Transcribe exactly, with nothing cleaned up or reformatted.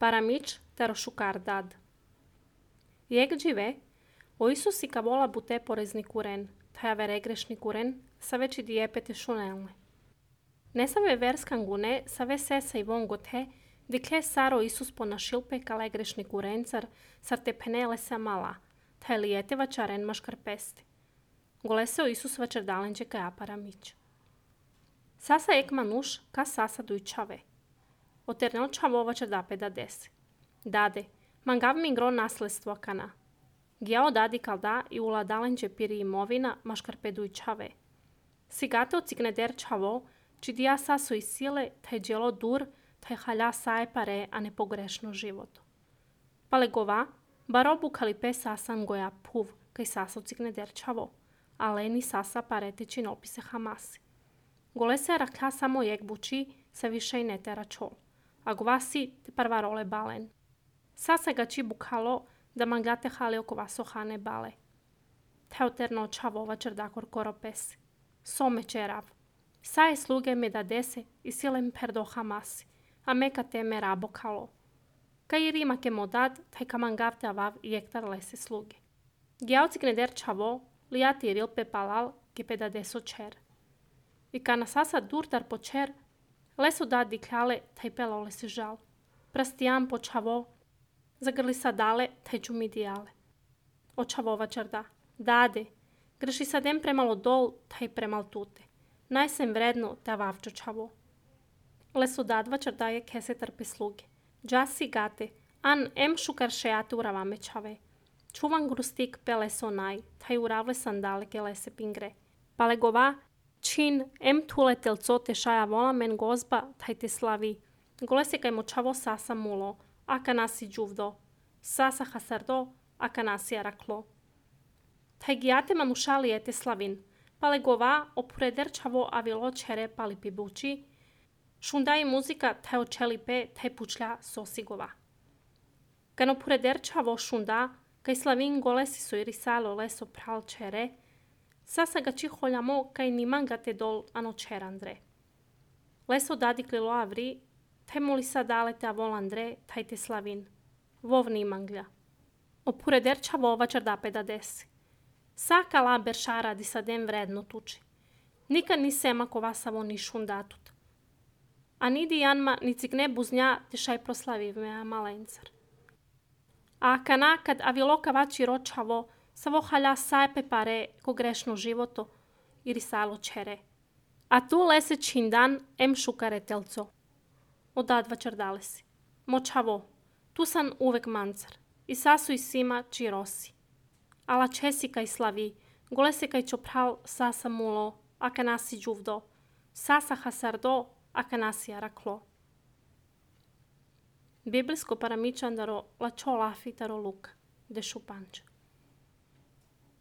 Paramič tero šukardad. Jak žive, o Isusi ka vola bute porezni kuren, taj ave regrešni kuren, sa veći dijepete šunelne. Ne save verskan gune, save sesa i vongote, dikle saro Isus pona šilpe kale grešni kurencar, sar te penele se mala, taj lijete vačaren maškar pesti. Goleseo Isus vačer dalenđe ka aparamić. Sasa ek manuš, ka sasa duj čave. Oternel čavo vačer dape da dese. Dade, mangav mi gro nasledstvo kana. Gjao dadi kalda i ula dalenđe piri imovina maškar peduj čave. Sigate ocikne der čavo, či dija saso i sile, taj djelo dur, taj halja saje pare, a ne pogrešno životo. Pale gova, barobu kalipe sasan goja puv, kaj saso cikne der čavo, ale ni sasa parete čin opise hamasi. Gole se rakla samo jek buči, se više i ne tera čol, a govasi te parvarole balen. Sasa ga či bukalo, da mangate hale oko vasohane bale. Te oterno čavova čerdakor koropesi. Some čerav. Saje sluge me da dese i silem perdo hamasi, a meka teme rabo kalo. Kaj rima ke modad, taj kamangavte avav i ektar lese sluge. Gjaucik ne der čavo, lijati ril pe palal, ke pe da deso čer. I kana sasa durtar po čer, leso da dikljale, taj pelo lese žal. Prastijan po čavo, zagrli sa dale, taj čumi dijale. O čavova čerda, dade, greši sadem premalo dol, taj premal tute. Najsem vredno da vavčo čavo. Leso dadva čerdaje kese trpe sluge. Džasi gate, an em šukar šeate uravame čave. Čuvan grustik peleso naj, taj uravle sandale ke lese pingre. Pale gova, čin em tule telco te šaja vola men gozba, taj te slavi. Gole se kaj močavo sasa mulo, aka nasi džuvdo. Sasa hasardo, aka nasi araklo. Taj gijate manušali ete slavin. Pale gova, opureder čavo avilo čere pali pibuči. Šundaj muzika taj očelipe, taj pučlja sosigova. Kan opureder čavo šunda, kaj slavin gole si so irisalo leso pral čere, sasa ga či holjamo kaj nimanga te dol ano čerandre. Leso dadiklilo avri, taj muli sa dale te avolandre, taj te slavin. Vov nimanglja. Opureder čavo vačar dape da desi. Saka la beršara di sadem vredno tuči. Nikad ni sema ko vasavo ni šundatut. A nidi janma ni cikne buznja te šaj proslaviv mea malencar. A kana kad aviloka vači ročavo, savo halja sajpe pare ko grešno životo i risalo čere. A tu lese čindan em šukare telco. Odadva čardale si. Močavo, tu san uvek mancar. I sasu i sima či rosi. Ala česi kaj slavi, gole se kaj čopral sasa mulo, aka nasi džuvdo, sasa hasardo, aka nasi araklo. Biblijsko paramičandaro la čolafi taro luka, de šupanč.